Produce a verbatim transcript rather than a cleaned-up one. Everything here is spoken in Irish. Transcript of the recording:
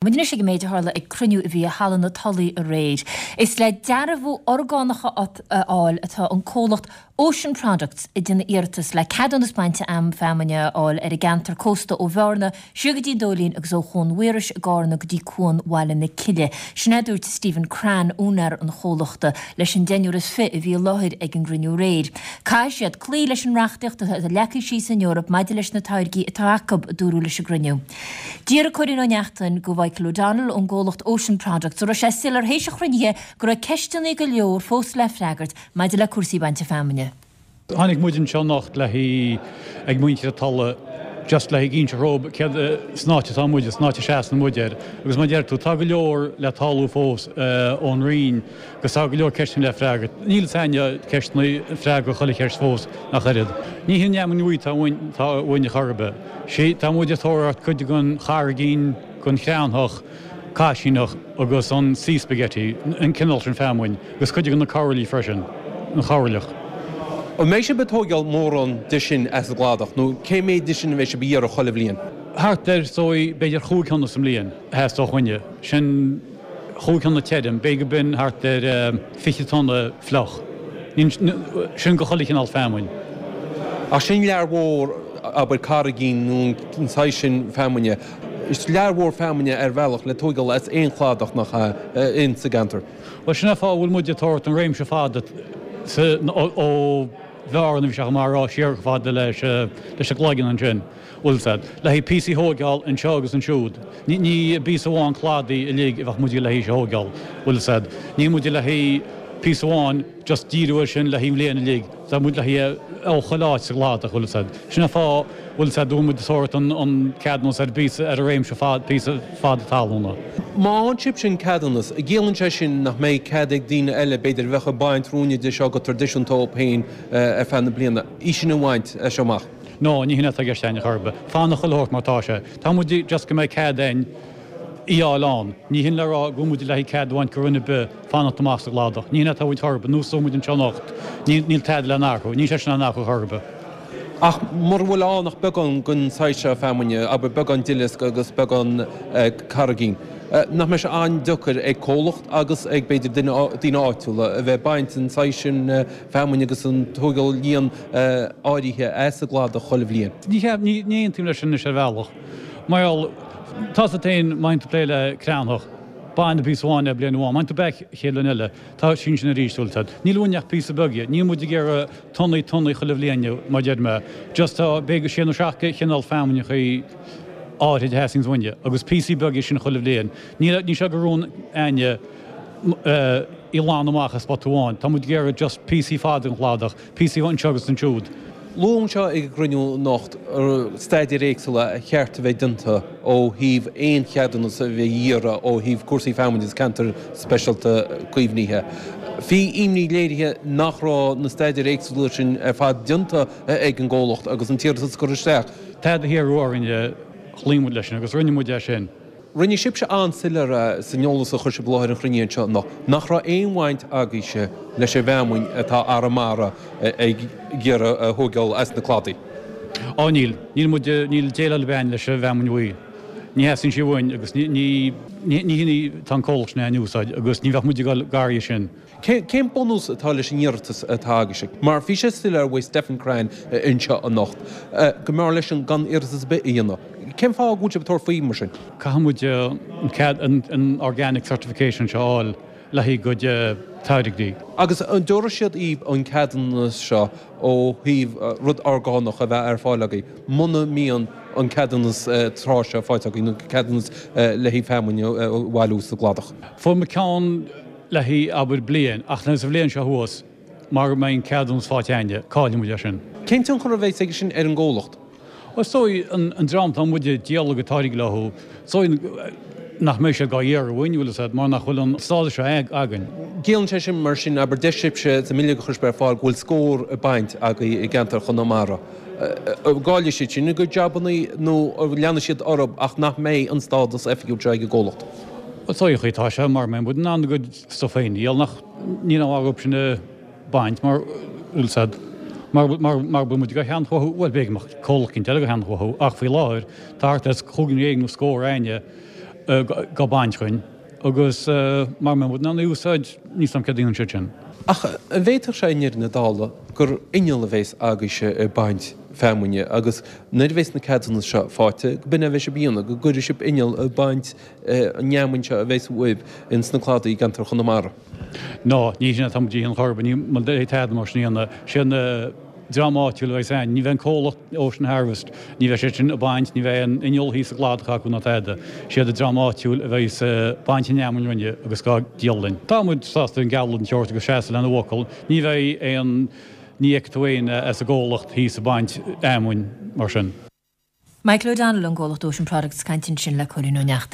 Muid anois ag an méid a tharla ag cruinniú a bhí i Halla na Tulaí aréir. Is le dearbhú orgánach a fháil atá an comhlacht Ocean Products ag déanamh iarratas le ceadúnas bainte feamainne a fháil ar an gceantar cósta ó Bhearna siar go dtí an Dóilín agus ó Chuan Mhaorais i gCarna go dtí Cuan Bhaile na Cille. Sin é a dúirt Stephen Cran, úinéir an chomhlachta, leis an deichniúr is fiche a bhí i láthair ag an gcruinniú aréir. Caithfidh siad cloí leis an reachtaíocht atá leagtha síos san Eoraip maidir leis na táirgí atá acu, a dúradh leis an gcruinniú. D'fhiafraigh Cóilín Ó Neachtain de Mhichael O'Donnell ón gcomhlacht Ocean Products an raibh sé soiléir théis an chruinnithe go raibh ceisteanna go leor fós le freagairt maidir le cúrsaí bainte feamainne. Tháinig muid anseo anocht le hí ag muintir na Tulaí just le haghaidh inse dhóibh céard san áit atá muid, san áit a seasann muid air. Agus mar a deir tú, tá go leor le tarlú fós ón Roinn agus tá go leor ceisteanna le freagairt. Níl fhios a'inne ceisteanna freagra chuile cheist fós ach oiread. Ní hin an fheamainn bhuí atá uainn, atá uainn a chor ar bith. Sí, tá muid ag tabhairt cuid den charraigín, den chreamthach, caisíneach agus an sea spaghetti, an cineál sin feamainn, agus cuid de na coraillí freisin, an chorailleach. An mbeidh sibh ag tóigeáil mórán de sin as an gcladach, nó cé méid de sin a bheidh sibh a iarraidh chuile bhliain? Thart ar, is dóigh, b'fhéidir chúig thonna sa mbliain a theastódh uainne. Sin chúig thonna tirim, b'fhéidir go b'in thart ar fiche tonna fliuch. Sin go chuile chineál feamainn. Ach sin lear mhór, abair, carraigín nó an saghas sin feamainne. Is lear mhór feamainne ar bhealach le tóigeáil as aon chladach nach ea in sa gceantar. Bhuel, sin é an fáth a bhfuil muid ag tabhairt an réimse fada sa, ó Bhearna, bhí sé chomh maith a rá, siar chomh fada leis, leis an gCloigeann ansin, bhfuil 's a'd, le haghaidh píosaí a thóigeáil anseo agus ansiúd. Ní, ní píosa amháin cladaigh uilig a bheadh muid le haghaidh a thóigeáil, bhfuil 's a'd. Níl muid le haghaidh píosa amháin just díriú air sin le haghaidh an bhliain uilig. Tá muid le haghaidh ó chuile áit sa gcladach, bhfuil 's a'd. Sin an fáth, bhfuil 's a'd, go bhfuil muid ag tabhairt an, an ceadúnas ar phíosa, ar an réimse fad, píosa fada talúna. Má fhaigheann sibhse an ceadúnas, an gciallaíonn sé sin nach mbeidh cead ag daoine eile, b'fhéidir, a bheadh ag baint ruainne de seo go traidisiúnta dóibh féin ar feadh na bliana, í sin a bhaint as seo amach? No, ní hin atá i gceist a'inn chor ar bith. Fanacht chuile shórt mar atá sé. Tá muid just go mbeidh cead a'inn í fháil ann. Ní hin le rá go bhfuil muid le haghaidh cead a bhaint go dhuine ar bith fanacht amach sa gcladach. Ní hin atá uainn chor ar bith. Nós a muid anseo anocht, níl níl tada le n-athrú. Níl sé sin á n-athrú chor ar bith. Ach mura bhfuil ann ach beagán den saghas seo feamainne, abair beagán duileasc agus beagán carraigín, nach mbeidh sé an-deacair ag comhlacht agus ag b'fhéidir duine daoine áitiúla a bheith ag baint an saghas sin feamainne agus an tóigeáil líon áirithe as an gcladach chuile bhliain? Ní cheap, ní ní aontaím leis sin anois ar bhealach. Mar gheall, tá 's agat féin, má théann tú ag plé le creamthach, bain píosa amháin le bliain amháin, má théann tú back chéad bhliain eile, tá sin sin arís, bhfuil 's a'd. Níl uainn ach píosa beag dhe. Níl muid ag iarraidh tonnaí tonnaí chuile bhliain, mar a deir mé. Just tá, b'fhéidir sé nó seacht de chineál feamainneachaí áirid a theastaíonns uainne, agus píosaí beaga sin chuile bhliain. Níl, níl sé de rún a'inne í ghlanadh amach i spota amháin. Tá muid ag iarraidh just píosaí fada den chladach, píosaí anseo agus ansiúd. Luadh anseo ag an gcruinniú anocht staidéir éagsúla a cheart a bheith déanta ó thaobh aon cheadúnas a bheith á iarraidh ó thaobh cúrsaí feamainne agus ceantar speisialta caomhnaithe. Bhí imní léirithe nach raibh na staidéir éagsúla sin ar fad déanta ag an gcomhlacht agus an t-iarratas curtha isteach. Tada a hiarradh orainne, chloígh muid leis sin agus rinne muid é sin. Rinne sibhse an-soiléir é san eolas a chuir sibh i láthair an chruinnithe anseo anocht nach raibh aon bhaint agaibhse leis an bhfeamainn atá Arramara ag iarraidh a thóigeáil as na cladaí. Á níl. Níl muid, níl déileáil ar bith a'inn leis an bhfeamainn bhuí. Ní theastaíonn sí uainn agus ní, ní, ní hin í tá an comhlacht sin a'inn a úsáid agus ní bheadh muid ag dul gar dhi sin. Cén bunús atá leis an iarratas atá agaibhse? Mar bhí sé soiléir uaidh Stephen Cran anseo anocht go mb'fhearr leisean gan iarratas ar bith a dhéanamh. Cén fáth go bhfuil sibh ag tabhairt faoi mar sin? Caithfidh muid an cead, an organic certification seo a fháil le haghaidh cuid táirgí. Agus an dtabharfaidh siad daoibh an ceadúnas seo ó thaobh rud orgánach a bheith ar fáil agaibh muna mbíonn an ceadúnas trá seo faighte agaibh nó ceadúnas le haghaidh feamainn a bhailiú sa gcladach? Fuair muid ceann le haghaidh, abair, bliain, ach sa bhliain seo thuas, mara mbeidh an ceadúnas faighte a'inne, caillfidh muid é sin. Cén tionchar a bheas aige sin ar an gcomhlacht? Bhuel, is dóigh, an dream atá muid ag díol a gcuid táirgí leo, is dóigh nach mbeidh siad dhá iarraidh uainn, bhfuil fhios a'd, mar nach bhfuil an stádas seo againn. Ciallaíonn sé sin, mar sin, abair, deir sibhse sa mbileog a chuir sibh ar fáil go bhfuil scór ag baint agaibh i gceantar Chonamara. An gcaillfidh siad sin a gcuid jabannaí nó leanfaidh siad orthu ach nach mbeidh an stádas oifigiúil seo ag an gcomhlacht? Is dóigh an chaoi atá sé, mara mbeidh muid in ann a gcuid stuif féin a dhíol, nach, níl aon mhaith dhóibh sin a bhaint mar, bhfuil 'fhios a'd, mar, mar, mar bhfuil muid ag ceannach uathu, bhuel b'fhéidir go mbeadh comhlacht eicínt eile ag ceannach uathu ach faoi láthair tá thart ar chúig nó dhéag nó scór a'inne dhá baint chugainn agus mara mbeidh muid in ann é a úsáid, níl 's a'm céard a dhéanann siad sin. Ach an bhféadfadh sé i ndeireadh na dála gur inneall a bheas agaibhse ag baint feamainne agus nuair a bheas na ceadúnais seo faighte, go b'in é a bheidh sibh a dhéanamh, go gcuirfidh sibh inneall ag baint an fheamainn seo a bheas uaibh ins na cladaí i gceantar Chonamara? Ná, ní sin atá muid a dhéanamh chor ar bith, níl muid ag tada mar sin a dhéanamh. Sé an dream áitiúil a bheas ann, ní bheidh an comhlacht Ocean Harvest, ní bheidh siad sin ag baint, ní bheidh aon inneall thíos sa gcladach acu ná tada. Siad an dream áitiúil a bheas ag baint an fheamainn dhúinne agus dhá díol linn. Tá muid sásta an gealladh den tseort agus seasamh lena bhfocal. Ní bheidh aon, ní fheicfidh tú éinne as an gcomhlacht thíos ag baint fheamainn mar sin. Michael O'Donnell ón gcomhlacht Ocean Products ag caint ansin le Cóilín Ó Neachtain.